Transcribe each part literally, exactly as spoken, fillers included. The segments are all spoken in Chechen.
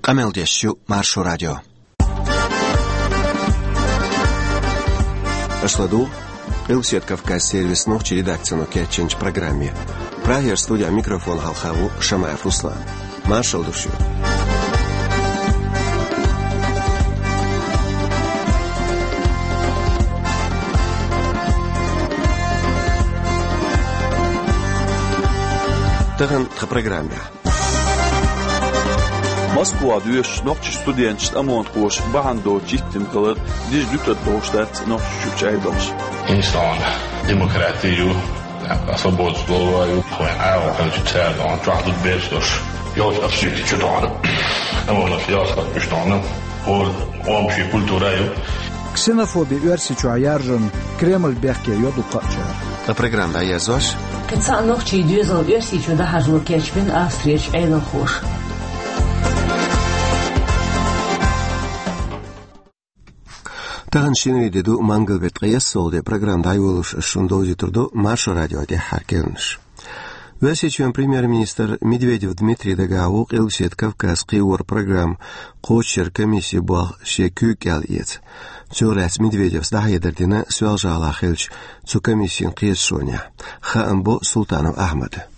Къамел деш ю Маршо радио. Аша ладугӀу Къилбаседа Кавказ сервисан нохчийн редакцино кечйинчу программе. Прагера студехь микрофон хьалха ву Шамаев Руслан. Маршалла ду шуьга. Тахана тхан программехь. Москвахь доьшучу нохчийн студенташна омонхоша бахьана доцуш йиттина хилар дижа дуьтур долуш дац Нохчийчуьрчу Ӏедалша. Иза тхуна демократи ю, свободас голова ю, вайн Ӏаьржа хилча цара тхуна чохь зуда берш долуш. Йолчу обсудить чу тхуна. Омонаш йолчу уьш тхуна. ХӀора общий культура ю. Ксенофоби Оьрсийчохь яржарна Кремль бехке йо дуккха а чара. Ткъа программа дӀаерзош. Кхин цхьа нохчийн доьзал Оьрсийчу дахьажо кечбина Австрерчу Ӏедалхоша. Тахана шинарин де ду, мангал беттан ткъе ялх де, программа дӀайолош ас шуна довзуьйтур ду Маршо радион тӀаьххьара керланаш. Оьрсийчоьнан премьер-министр Медведев Дмитрий дагахь ву Къилбаседа Кавказ кхиоран программа кхочушъяран комиссин болх шен куьйга кӀел эца. Цунах лаьцна Медведевс дӀахьедар дина Соьлжа-ГӀалахь хиллачу цу комиссин кхеташонехь. Хаам бо Султанов Ахьмада.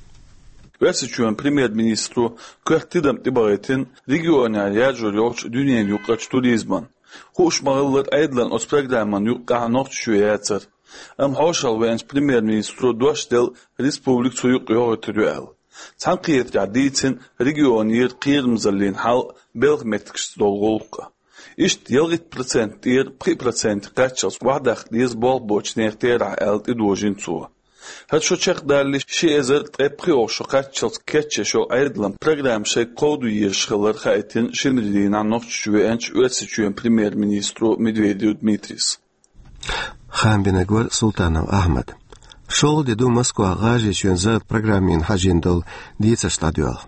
Оьрсийчоьнан премьер-министро коьрта тидам тӀебахийтина регионехь яржор йолчу дуьненаюкъарчу туризман. Хууш ма-хиллара, Ӏедалан оцу программан юккъехь Нохчийчоь яцара. Амма хьошалгӀа веанчу премьер-министро дош делла республика цу юкъа йохуьйтур ю аьлла. Цхьаьнакхетарехь дийцина регионера кхерамзаллин хьал а, белхан меттигашца долу гӀуллакх а. Иштта ялхитта процент тӀера пхи проценте кхаччалц охьадаккха деза болх боцучу нехан терахь аьлла тӀедожийна цо. ХӀара шо чекхдалале, ши эзар ткъе пхоьалгӀа шо кхаччалц кечъеш йолу Ӏедалан программа шайга кховдо езаш хилар хаийтина шинарин дийнахь Нохчийчу веанчу Оьрсийчоьнан премьер-министро Медведев Дмитрийс. Хаам бинарг вара Султанов Ахьмад. ШолгӀа де ду Москвахь ГӀажарийчоьнан зарратан программина хьажийна долу дийцарш дӀадоьлху.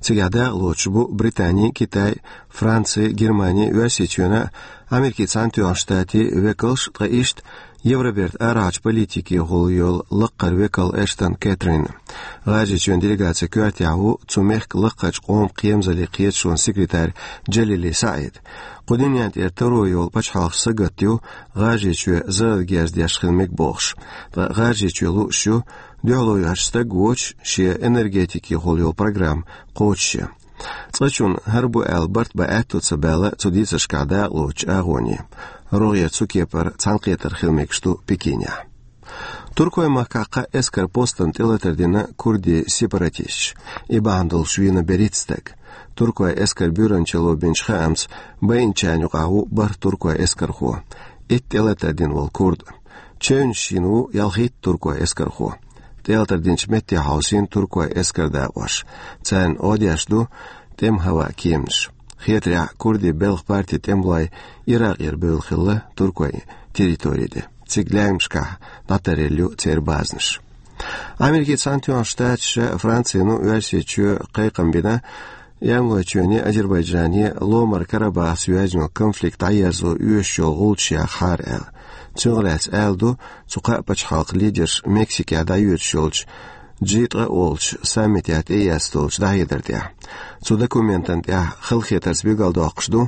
Цигахь дакъалоцуш бу Британи, Китай, Франци, Германи, Оьрсийчоьнан а, Америкин Цхьаьнатоьхначу Штатийн векалш а, ткъа иштта Евробертан арахьарчу политикехула йолу лаккхара векал Эштон Кэтрин. ГӀажарийчоьнан делегацин коьртехь ву цу мехкан лаккхарчу къоман кхерамзаллин кхеташонан секретарь Джалили СаӀид. Кху дуьнен тӀера таро йолу пачхьалкхаш сагатдо ю ГӀажарийчоь заррат герз деш хила мега бохуш. Ткъа ГӀажарийчоь лууш ю дуьхьало йоьхуш стаг воцуш шен энергетикехула йолу программа кхочушъян. Цкъачунна хӀара бу аьлла барт бан аьтто ца баьлла цу дийцаршкахь дакъалоцучу агӀоне. РогӀера цу кепара цхьаьнакхетар хила мегаш ду Пекинехь. Туркойн махкахь кхаа эскаран постана тӀелатар дина курдийн сепаратисташа. И бахьана долуш вийна берхӀитта стаг. Туркойн эскаран буьйранчалло бинчу хаамца, байинчарна юкъахь ву бархӀ туркойн эскархо. Итт тӀелатар дина волу курд. Чевнаш йина ву ялхитта туркойн эскархо. ТӀелатар динчу метте хьовсийна туркойн эскаран дакъош. Царна гӀо деш ду тӀеман хӀаваан кеманаш. Хетарехь, курдийн белхан партин тӀемалой Иракъера бевлла хилла туркойн территори тӀе. Цига лаьмнашкахь дӀатаръелла ю церан базанаш. Америкин Цхьаьнатоьхначу Штаташа, Францино Оьрсийчоь кхайкхам бина Эрмалойчоьнан, Азербайджанан ломара Карабахаца йоьзна йолу конфликт дӀаерзо оьшуш йолу гӀулчаш яхьара аьлла. Цунах лаьцна аьлла ду цу кхаа пачхьалкхан лидерша Мексикехь дӀайоьдуш йолчу джи ткъа олучу саммитехь тӀеэцна долчу дӀахьедар тӀехь. Цу документана тӀехь халахетарца билгалдоккхуш ду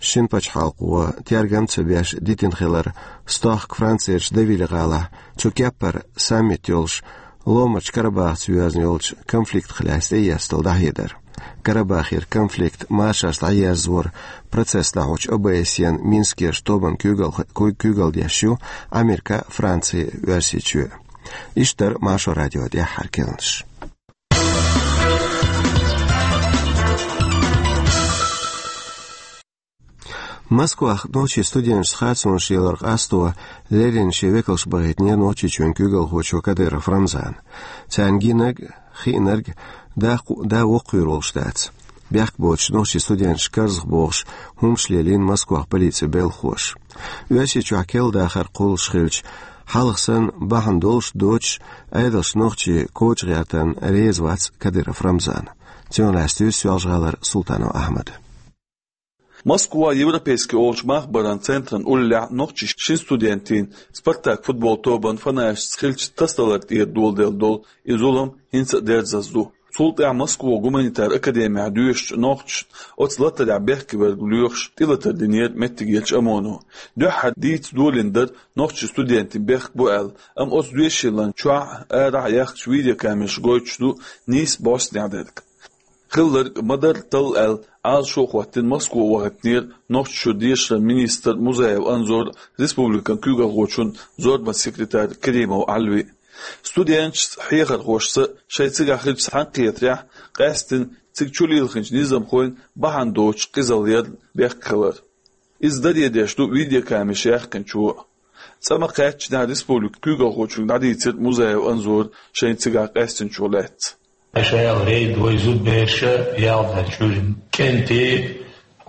шина пачхьалкхо тергам а ца беш дитина хилар стохка Францерчу Девиль-гӀалахь цу кеппара саммит йолуш ломарчу Карабахаца йоьзна йолчу конфликтах лаьцна тӀеэцна долу дӀахьедар. Карабахера конфликт машарца дӀаерзоран процесс дӀахьочу О Б С Е-н Минскерчу тобанна куьйгалла-, куьй-, куьйгалла деш ю Америка, Франци, Оьрсийчоь. Иштта дара Маршо радион тӀаьххьара керланаш. Москвахь нохчийн студенташца харцонаш яларх къасто леррина шен векалш бахийтинера Нохчийчоьнан куьйгалхочо Кадыров Рамзана. Царна гинарг, хиънарг да-, да воккхавер волуш дац. Бехк боцуш нохчийн студенташ карзахбохуш хӀумаш лелийна Москвахь полицин белхахоша. Оьрсийчохь керла дахар кхуллуш хилча, хьалха санна бахьана долуш а доцуш, Ӏедалша нохчий коча гӀертарна реза вац Кадыров Рамзан. Цунах лаьцна дуьйцу Соьлжа-ГӀалара Султанов Ахьмада. Москва Европейский олучу махбаран центран уллехь нохчийн шина студентийн «Спартак» футбол тобан фанаташца хиллачу тасадалар тӀера доладелла долу и зулам хӀинца а дерзаза ду. Цул тӀаьхьа Москва гуманитар академехь доьшучу нохчашна оцу латарехь бехке верг лоьхуш тӀелатар динера меттигерчу ОМОНо. Дуьххьара дийца долийна дара нохчийн студентийн бехк бу аьлла, амма оцу доьшийлан чохь а, арахь а яьхначу видеокамераш гойтуш ду нийса бӀостанехь дерг. Хилларг ма-дарра талла аьлла, Ӏалашо а хӀоттийна, Москва вахийтинера Нохчийчуьра дешаран министр Музаев Анзор а, республикан куьйгалхочун зорбанан секретарь Керимов Ӏалви а. Студенташца, хьехархошца шайн цигахь хиллачу цхьаьнакхетарехь къаьсттина цига чулилхинчу низамхойн бахьана доцуш къизалла ярна бехк хилар. Иза даре деш ду видеокамераш яьккхинчо а. ЦӀа ма-кхаьччинехь республикан куьйгалхочуьнга дӀадийцира Музаев Анзора шайна цигахь къаьстинчух лаьцна. Ша аьлла, рейд вай зудабераш яьлла дац, чуьра кӀентий,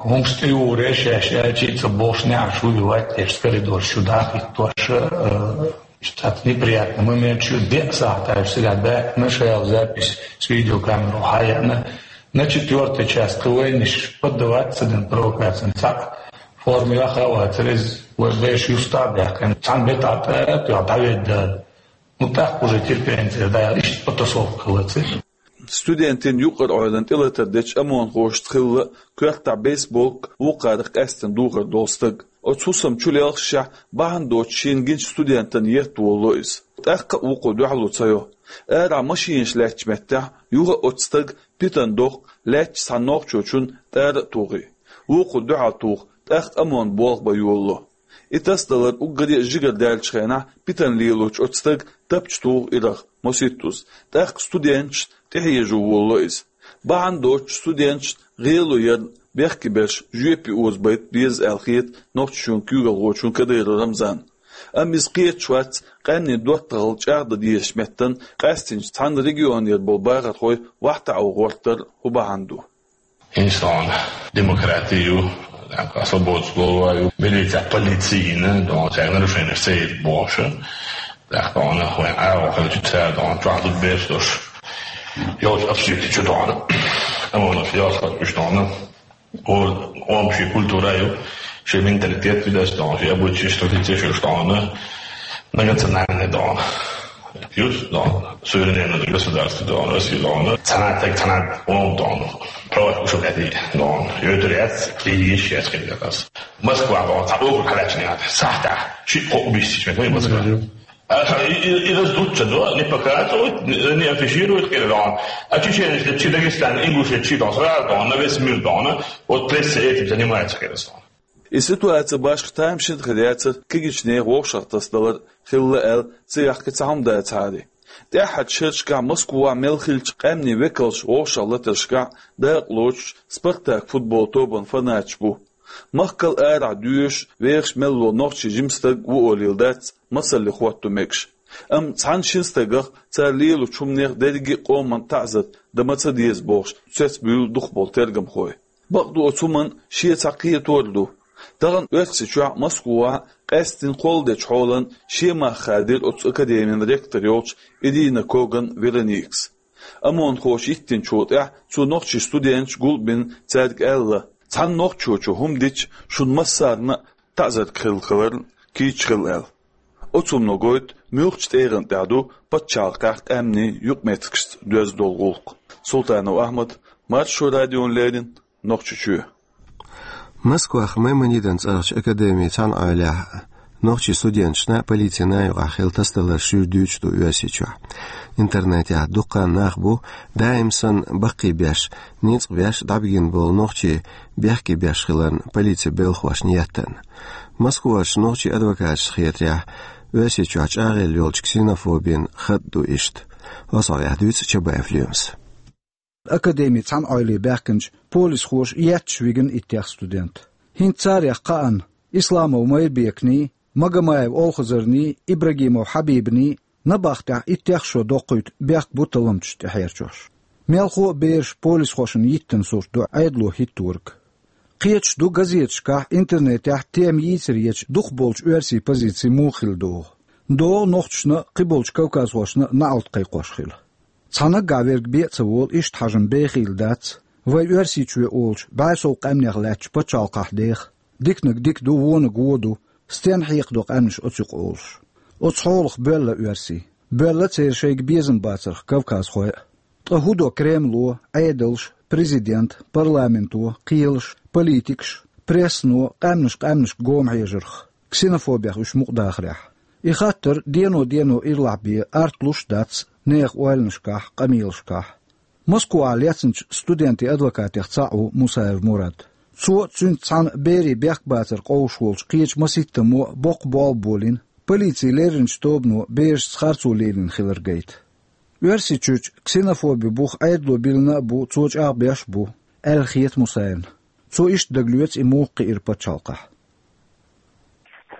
хӀумаш тӀеюьйр шаьш аьлча а, ца бохуш неӀарш вуй ваьтташ коридораш чу дахийтош, э, иштта неприятный момент ю, деа сахьташ цигахь баьхкина, ша аьлла, запись с видеокамерой хьаяьхьна. На четвёртый час кхин вайнаш поддаваться ца дина провокацина, цхьаъ форма йоьхна а вацара иза, вай бераш юьстахь а даьккхина, цхьана бетӀа тӀе а тоьхна дӀаведда. Ну, тӀаккха уже терпение ца дара, иштта потасовка хилла цигахь. Студентийн юкъара Ӏойланна тӀелатар дечу ОМОНхошца хилла коьртахь бейсболка, вукхарах къаьсттина духар долу стаг. Оцу хӀусамна чулелхашехь, бахьана доцуш шена гинчу студентана етта волало иза. ТӀаккха а вукхо дуьхьало ца йо. Арахь машинаш лаьттачу меттехь, юха а оцу стага питана доккху, лаьттачу цхьана нохчочунна тӀара а тухий. Вукхо дуьхьал туху, тӀаккха ОМОНан болх бан йолало. И тасадалар уггаре а жигара даьллачу хенахь, питана лелочу оцу стага тапча туху ирах, маситтаза. ТӀаккха студенташна тӀехьежо волало иза. Бахьана доцуш студенташна гӀело ярна бехке берш жоьпе озабайта беза аьлла хета Нохчийчоьнан куьйгалхочунна Кадыров Рамзанна. Амма иза кхеташ вац къаьмнийн доттагӀалла чӀагӀдан дезачу меттана къаьстинчу цхьана регионера болу бахархой вахтахь ван гӀортар хӀун бахьана ду. ХӀинца тхуна демократи ю, свобода слова ю, милица, полицина, тхуна цаьрга нарушенеш ца йита бохуш. ТӀаккха тхуна вайн агӀо хилча, цара тхуна чохь зудабераш долуш йолчу обстреле чу тхуна. ОМОНаш йолчу уьш тхуна. О, омаши культура ю, шен менталитет ю дас тхуна, шен обычай, традицеш ю тхуна. Многонациональный тхуна. Юс, но, суверенное государство, но, Россия, но, цхьана таг, цхьана ом, но, правах уши беди, но, йойтур яц, кииш яц, кхин яц. Москва, но, цхьа округ хьалаьцна яц, сахьтехь шиъ-кхоъ убийство йича, Москва. А, и, и, и раздуться, да, не показывают, не, не афишируют, кхин, но. А чеченцы, чи Дагестан, ингуши, чи, но, сразу, но, на весь мир, но, вот пресса этим занимается, кхин, но. И ситуаци башха тамашийна хир яцара кегийчу нехан вовшахтасадалар хилла аьлла, цигахь кхин цхьа хӀума дацахьара. ТӀаьххьарчу шерашкахь Москвахь мел хиллачу къаьмнийн векалш вовшахлатаршкахь дакъа лоцуш «Спартак» футбол тобанан фанаташ бу. Махкал арахь доьшуш, вехаш мел волу нохчийн жима стаг ву олийла дац масалле хӀотто мегаш. Амма цхьана-шина стагах, цара лелочу хӀуманех дерриге а къоман таӀзар дан ма ца деза бохуш, цецбуьйлу дукхахболу тергамхой. Бакъду, оцу хӀуманна шен цхьа кхетор а ду. Тахана Оьрсийчохь Москвахь къаьсттина кхолладечу хьолан шен мах хадийра оцу академин ректор йолчу Ирина Коган Вероникас. ОМОНхоша йиттинчул тӀаьхьа цо нохчийн студенташ гулбина, цаьрга аьлла: «Цхьана нохчочо хӀума дича, шуна массарна а таӀзарг хилла хиларна кийча хила», — аьлла. Оцу хӀумано гойту, муьлхачу тӀегӀан тӀехь ду пачхьалкхехь къаьмнийн юкъаметтигашца доьзна долу гӀуллакх. Султанов Ахьмад, Маршо радиона леррина, Нохчийчоь. Москвахь Маймонидан цӀарахчу академин цхьана Ӏойлехь нохчийн студенташна а, полицина а юкъахь хилла тасадаларш шуьйра дуьйцуш ду Оьрсийчохь. Интернетехь дуккха а нах бу, даим санна баккхийбеш, ницкъ беш дӀабигина болу нохчий бехке беш хиларна полицин белхахошна еттарна. Москварчу нохчийн адвокаташна хетарехь, Оьрсийчохь чӀагӀъелла йолчу ксенофобин хатӀ ду иштта. Оцу хьокъехь дуьйцу Чабаев Лемас. Академин цхьана Ӏойла баьхкинчу полисхоша етташ вигина иттех студент. ХӀинца царех кхаанна, Исламов Майрбеканий, Магомаев Олхазарний, Ибрагимов Хьабибаний, набахтехь иттех шо доккхуьйту бехк бу талламчашна тӀехьерчохь. Мелхо а бераш полисхошна йиттина сурт ду Ӏедало хӀитториг. Кхеташ ду газеташкахь, интернетехь тема йийцаре ечу дукхахболчу оьрсийн позици муха хилла догӀу. ДогӀу нохчашна а, кхиболчу кавказхошна а наӀалт кхайкхош хила. Цхьа наггахь верг бен а ца волу иштта хьажам бехийла дац, вай Оьрсийчоь олучу бӀе сов къаьмнех лаьттачу пачхьалкхахь деха, диканиг дика ду, вониг вон ду, стенна хьекхадо къаьмнаш оцу юкъа олуш. Оцу хьолах боьлла оьрсий. Боьлла церан шайга безам бацарх кавказхой а. Ткъа хӀун до Кремло, Ӏедалш, президент, парламенто, кхелаш, политикаш, прессано къаьмнаш къаьмнашка гома хьежарх, ксенофобех уьш мукъа дахарехь? И хаттар дено-дено ирлахь бен артлуш а дац нехан ойланашкахь, къамелашкахь. Москвахь лецначу студентийн адвокатех цхьаъ ву Мусаев Мурад. Цо цуьнца цхьаьна берийн бехк бацар къовсуш волчу кхечу масийттаммо боккха болх болийна, полицин лерринчу тобано берашца харцо лелийна хилар гайта. Оьрсийчуьрчу ксенофоби бух Ӏедало биллина а бу, цо чӀагӀбеш а бу, аьлла хета Мусаевна. Цо иштта дагалоьцу и муха кхиира пачхьалкхехь.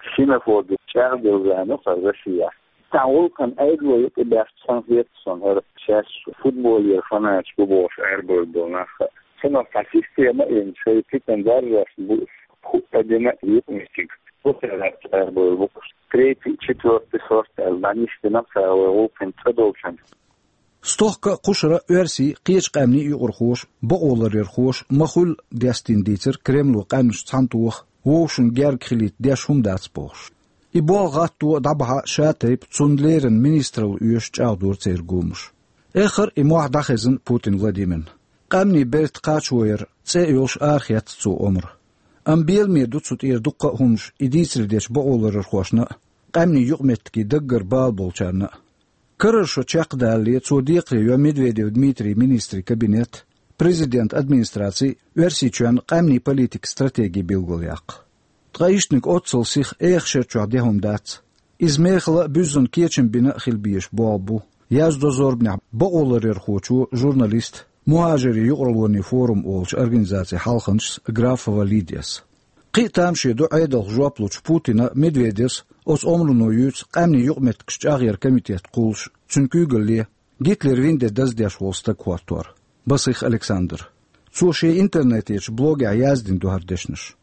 Ксенофоби чӀагӀделла ваьлла ву хӀара Россехь. Цхьана гӀуллакхна Ӏедало юкъа баьхча санна хета суна хӀара, шаьш футболера фанаташ бу бохуш арабевлла болу нах. Цунах цхьа система а йина, шайн питана даржош бу, хӀуъа дина а юкъаметтиг. Бухера арабевлла бу. Третий, четвёртый сорт аьлла, дӀанисдина цара вай гӀуллакхна цӀа долчунна. Стохка а, кхушара а оьрсий, кхечу къаьмнийн юкъархоша, бакъоларъярхоша ма-хуьллу дестийна дийцира Кремло къаьмнаш цхьаьнатоха, вовшашна герга хилийта деш хӀума дац бохуш. И болх гӀатто а, дӀабахьа а ша тайпа, цунна леррина министралла оьшу чӀагӀдора церан гомаш. Эххар а и мохь дӀахезна Путин Владимирна. Къаьмнийн берта кхачо яр цӀе а йолуш арахецна цо омра. Амма беламе ду цу тӀера дуккха а хӀуманаш и дийцаре дечу бакъоларъярхошна а, къаьмнийн юкъаметтигийн даггара бала болчарна а. Карара шо чекхдалале цо декхаре йо Медведев Дмитрий министрийн кабинет, президентан администраци Оьрсийчоьнна къаьмнийн политикан стратеги билгалъяккха. Ткъа иштаниг оццул сиха эха шера чохь де хӀума дац. Иза мехала а, буьззина кечам бина а хила безаш болх бу, яздо зорбанехь бакъоларъярхочо, журналисто, «Мухажарийн юкъараллин форум» олучу организацин хьалханчас Графова Лидияс. Кхин а тамаше ду Ӏедалх жоп лучу Путина а, Медведевс а оцу омрано юьйцу къаьмнийн юкъаметтигаш чӀагӀъяран комитет кхуллуш, цуьнан куьйгалле Гитлеран вин де даздеш волу стаг хӀоттор, Басих Александр. Цо шен интернетехь блогехь яздина ду хӀара дешнаш.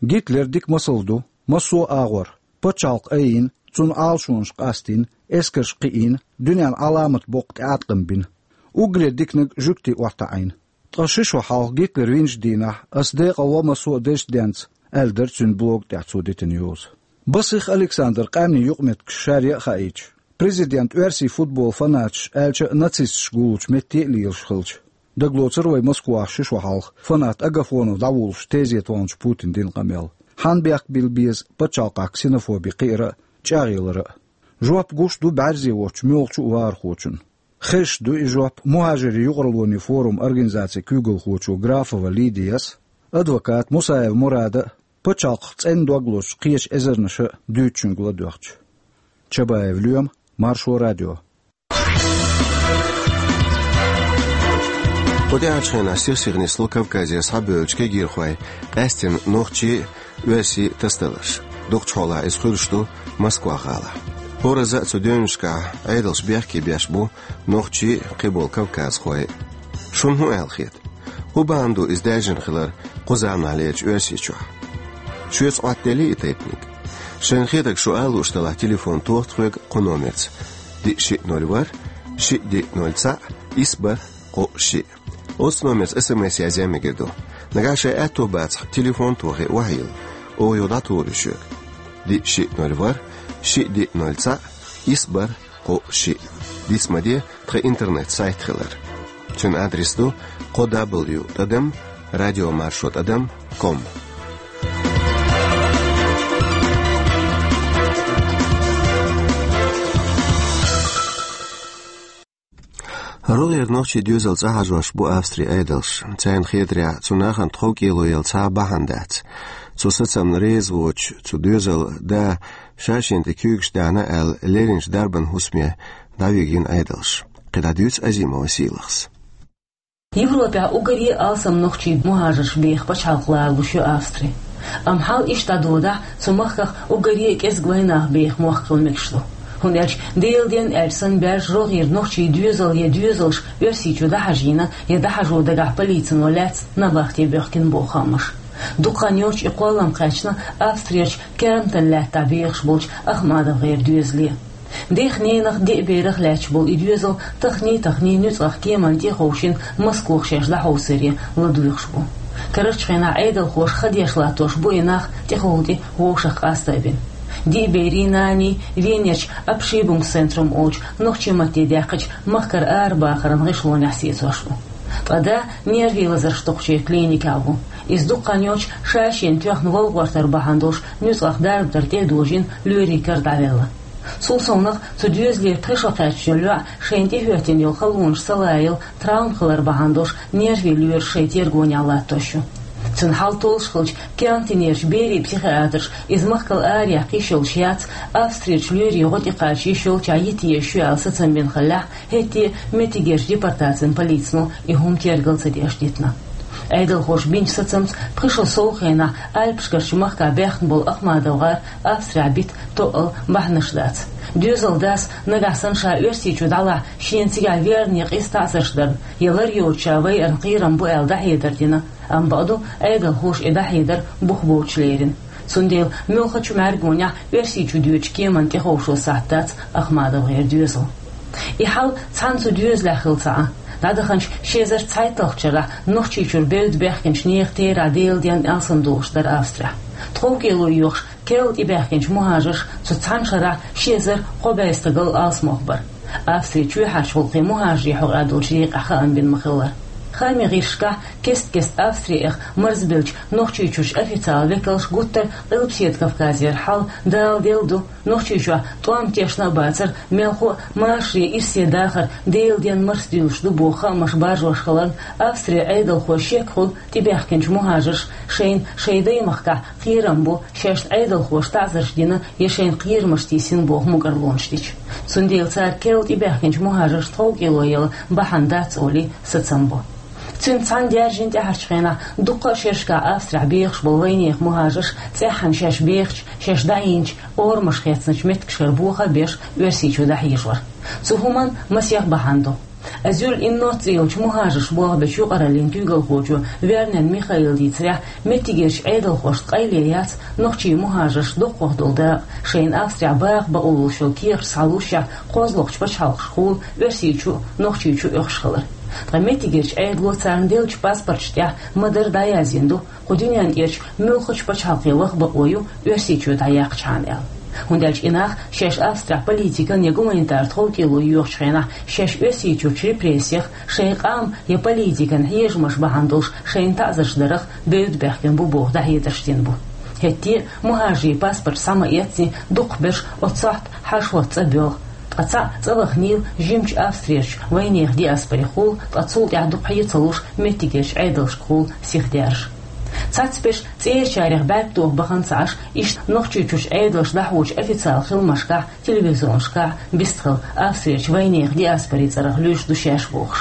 Гитлер дика масал ду массо а агӀор: пачхьалкх айина, цунна Ӏалашонаш къастийна, эскарш кхиийна, дуьненна Ӏаламат боккха тӀеӀаткъам бина. Уггаре диканиг жуьгтийн охьатаӀийна. Ткъа ши шо хьалха Гитлер винчу дийнахь ас декъалво массо а дезачу денца, аьлла дара цуьнан блога тӀехь цо дитина йоза. Басих Александр къаьмнийн юкъаметтигаш шаре а хаийча, президент оьрсийн футбол фанаташ, аьлча а нацисташ гуллучу метте а лелаш хилча, дагалоцур вай Москвахь ши шо хьалха фанат Агафонов дӀавуллуш тезета вахначу Путина дина къамел. Хьанна бехк билла беза пачхьалкхахь ксенофоби кхиара а, чӀагӀъялара а? Жоп гуш ду бӀаьрзе воцчу муьлххачу а вахархочунна. Хезаш ду и жоп «Мухажарийн юкъараллин форум» организацин куьйгалхочо Графова Лидияс а, адвоката Мусаев Мурада а, пачхьалкхах цӀена дог лозучу кхечу эзарнаша а дуьйцучуьнга ладоьгӀча. Чабаев Лоьма, Маршо радио. Кху тӀаьхьарчу хенахь сих-сиха нисло Кавказера схьабевллачу кегийрхойн къаьсттина нохчийн а, оьрсийн а тасадаларш. Дукхачу хьолахь иза хуьлуш ду Москва-гӀалахь. ХӀоразза а цу девнашкахь Ӏедалш бехке беш бу нохчий а, кхиболу кавказхой а. Шуна хӀун аьлла хета? ХӀун бахьана ду иза даьржина хилар кху заманахьлерчу Оьрсийчохь? Шуьца Ӏоттаделлий и тайпаниг? Шайна хетарг шу ала лууш делахь, телефон тоха тхоьга кху номерца: диъ шиъ ноль ворхӀ, шиъ диъ ноль цхьаъ, исс бархӀ кхоъ шиъ. Оцу номерца эс эм эс язъян мегар ду. Нагахь шайн аьтто бацахь, телефон тохий, охьайилла, оха юха дӀатухур ю шуьга. Диъ шиъ ноль ворхӀ, шиъ диъ ноль цхьаъ, исс бархӀ кхоъ шиъ. Диц ма де тхан интернет-сайт хилар. Цуьнан адрес ду: кхо дабл ю тӀадам радиомаршо тӀадам ком. РогӀера нохчийн доьзал цӀа хьажош бу Австрин Ӏедалш. Царна хетарехь, цу нахана тховкӀело яла цхьа а бахьана дац. Цу сацамна реза воцуш, цу доьзалан да ша шена тӀе куьйгаш даьхьна аьлла, лерринчу дарбан хӀусаме дӀавигина Ӏедалш. КхидӀа дуьйцу Азимова Сийлахьас. Европехь уггаре а алсам нохчийн мухӀажарш беха пачхьалкх лоруш ю Австри. Амма хьал иштта дӀадодахь, цу махках уггаре а кӀезиг вайнах беха мохк хила мегаш ду. ХӀунда аьлча Делан денна аьлча санна баьржа рогӀера нохчийн доьзал я доьзалш Оьрсийчу дӀахьажийна я дӀахьажо дагахь полицино лаьцна набахте боьхкина боху аммаш. Дукха хан йоццуш и кхоллам кхаьчна Австрерчу Кернтон лаьттахь бехаш болчу АхмадовгӀеран доьзале. Дех-ненах, деа-берах лаьтташ болу и доьзал тахний-тахний нуьцкъах кеманна тӀе а ховшийна, Москвахь шаьш дӀахьовсаре ладуьйгӀуш бу. Карарчу хенахь Ӏедалхоша ха деш латтош бу и нах тӀехула тӀе вовшах къаста а бина. Диъ берий, нанний Венерчу Абшибунг центрум олучу нохчийн матте даьккхича махкара арабахаран гӀишлонехь сецош бу. Ткъа да нервийн лазарш доккхучийн клиникехь ву. Иза дукха хан йоцуш ша-шена тоьхна вала гӀортар бахьана долуш нуьцкъах дарба дар тӀе а дожийна, лоьрийн кара дӀавелла. Цул совнаха цу доьзалера пхи шо кхаьчначу йоӀ шайна тӀехӀоьттина йолу халонаш ца лаялла травма хилар бахьана долуш нервийн лоьраш шайн тергонехь латтош ю. Цуьнан хьал толлуш хилча, кехатехь берийн психиатрша иза махкал араяьккха йиш йолуш яц, Австрерчу лоьрийн гӀо тӀекхача йиш йолчохь йита езаш ю аьлла сацам бина хиллехь, хӀетте а меттигерчу депортацин полицано и хӀума тергал ца деш дитина. Ӏедалхоша бинчу сацамца, пхи шо сов хенахь Альпашкарчу махкахь баьхна болу АхмадовгӀар Австрехь бита тоъал бахьанаш дац. Доьзалан дас нагахь санна ша Оьрсийчу дӀалахь, шена цигахь верна я къиза таӀзарш дарна, я лар йоцуш ша вайарна кхерам бу аьлла дӀахьедар дина, амма бакъду, Ӏедалхоша и дӀахьедар бух боцуш лерина. Цундела муьлххачу мӀаьргонехь Оьрсийчу доьдучу кеманна тӀеховшо сахьт дац АхмадовгӀеран доьзалан. И хьал цхьана цу доьзалехь хилла ца Ӏа. ДӀадаханчу ши эзар цхьайтталгӀачу шарахь Нохчийчуьра бевдда баьхкинчу нехан терахь Делан денна алсамдолуш дара Австрехь. ТховкӀело йоьхуш керла тӀебаьхкинчу мухӀажарш цу цхьана шарахь ши эзар кхо бӀе стагал алсамох бара. Австрин чоьхьарчу гӀуллакхийн мухӀажарийн хьокъехь долчу декъехь хаам бина ма-хиллара. Хаамийн гӀирсашкахь кест-кеста Австри эха марзбеллачу Нохчийчуьрчу официалан векалш гуттар а Къилбаседа Кавказера хьал даладалар ду, Нохчийчохь тӀом тешна а бацара, мелхо а машаре ирсе дахар Делан денна марсадуьйлуш ду боху хаамаш баржош хиларна, Австрин Ӏедалхой шек хуьлу тӀебаьхкинчу мухӀажарша шайна шайн даймахкахь кхерам бу, шаьшна Ӏедалхоша таӀзарш дина я шайна кхерамаш тийсина боху мукӀарлонаш дича. Цундела цара керла тӀебаьхкинчу мухӀажаршна тховкӀело яла бахьана дац олий сацам бо. Цуьнца цхьаьна даьржина тӀаьхьарчу хенахь дуккха а шерашкахь Австрехь бехаш болу вайнехан мухӀажарш цӀеххьана шаьш бехачу, шаьш дӀайинчу, орамаш хецначу меттигашкара боха а беш, Оьрсийчу дӀахьежор. Цу хӀуманна масех бахьана ду. Азюль Иннот цӀе йолчу мухӀажарш болх бечу юкъараллин куьйгалхочо Вернен Михаила дийцарехь, меттигерчу Ӏедалхошна къайле яц нохчийн мухӀажаршна доккхах долу дакъа, шайна Австрехь баха бакъо луш йолу кехаташ схьалуш, кхозлагӀчу пачхьалкхашкахула, Оьрсийчу а, Нохчийчу а оьхуш хилар. Ткъа меттигерчу Ӏедало царна деллачу паспорташ тӀехь ма-дарра дӀаяздина ду, кху дуьненна тӀерачу муьлххачу пачхьалкхе лаха бакъо ю Оьрсийчу дӀаяьккхичхьана аьлла. ХӀунда аьлча и нах шаьш Австрехь политикан я гуманитар тховкӀело йоьхучу хенахь, шаьш Оьрсийчуьрчу репрессех, шайн къам я политикан хьежамаш бахьана долуш шайна таӀзарш дарах бевдда баьхкина бу боху дӀахьедарш дина бу. ХӀетте а мухӀажарийн паспорташ схьа ма-эцци, дукхахберш оццу сохьта хьаьшалгӀатта цӀа боьлху, ткъа цхьаъ цӀа ваханийла жимачу Австрерчу вайнехан диаспорехула, ткъа цул тӀаьхьа дукха хье ца луш меттигерчу Ӏедалшкахула сиха даьржа. Цхьацберш цӀерачарех бӀаьрг тоха бахана ца Ӏаш, иштта Нохчийчуьрчу Ӏедалша дӀахьочу официалан хиламашкахь, телевизионашкахь бистхила Австрерчу вайнехан диаспорин цӀарах луьйш ду шаьш бохуш.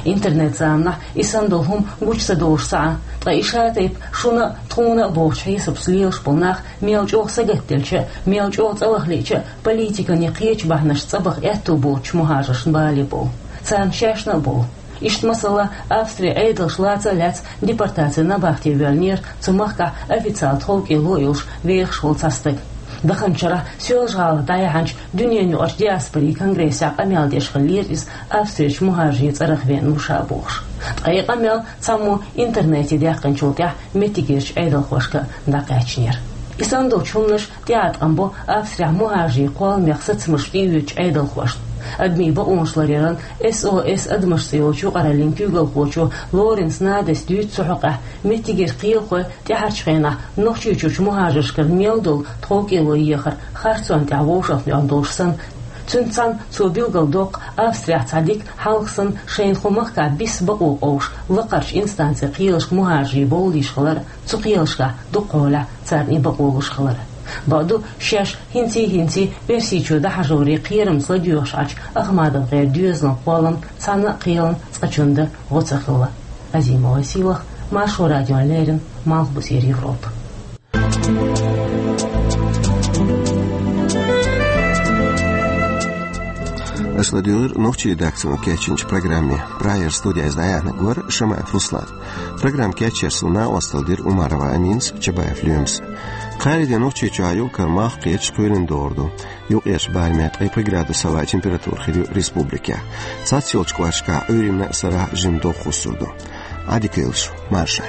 Интернет-заманахь и санна долу хӀума гучу ца долуш ца Ӏа, ткъа и ша-тайпа шуна а, тхуна а бохучу хьесапца лелаш болу нах мел чӀогӀа сагатделча а, мел чӀогӀа цӀа лаха лиъча а, политикан я кхечу бахьанашца цӀа баха аьтту боцучу мухӀажаршна бале бовлу. Царна шаьшна а бовлу. Иштта, масала, Австрин Ӏедалша лаца а лаьцна депортацин набахте воьллинера цу махкахь официалан тховкӀело а йолуш вехаш волу цхьа стаг. Даханчу шарахь Соьлжа-ГӀалахь дӀаяьхьначу дуьненаюкъарчу диаспорин конгрессехь къамел деш хиллера иза, Австрерчу мухӀажарийн цӀарах веана ву ша бохуш. Ткъа и къамел цхьаммо интернете даьккхинчул тӀаьхьа меттигерчу Ӏедалхошка дӀакхаьчнера. И санна долчу хӀуманаша тӀеӀаткъам бо Австрехь мухӀажарийн кхолламех сацамаш тӀеоьцучу Ӏедалхошна. Адамийн бакъонаш ларъяран С О С Адамаш цӀе йолчу юкъараллин куьйгалхочо Лоренц Надас дуьйцу цу хьокъехь, меттигера кхелахой тӀаьхьарчу хенахь Нохчийчуьрчу мухӀажаршкара мел долу тховкӀело ехар харцонна тӀехь вовшахтоьхна долуш санна. Цуьнца цхьаьна цо билгалдоккху Австрехь цхьа дика хьалха санна шайна кху махкахь биса бакъо къовсуш лакхарчу инстанцин кхелашка мухӀажарийн бовла йиш хилар, цу кхелашкахь дукхахьолахь царна и бакъо луш хилар. Бакъду, шаьш хӀинций-хӀинций Оьрсийчу дӀахьажоре кхерамца ладоьгӀуш Ӏачу АхмадовгӀеран доьзалан кхоллам цхьана а кхелан цкъачунна дан гӀо ца хилла. Азимова Сийлаха, Маршо радиона леррина, Малхбузера Европа. Аша ладуьйгӀира нохчийн редакцино кечйинчу программе. Прагера студехь иза дӀаяьхьнарг вара Шамаев Руслан. Программа кечъяр суна накъосталла дира Умарова Аминас, Чабаев Лоьмас. Кхаарин де Нохчийчохь юкъара малх кхеташ кхоьлина догӀур ду. Юкъерчу барамехь ткъе пхи градус хӀаваан температура хир ю республикехь. Цхьацца йолчу кӀошташкахь Ӏуьйранна а, сарахь а жимма догӀа хӀуссур ду. Ӏадика йойла шу, марша.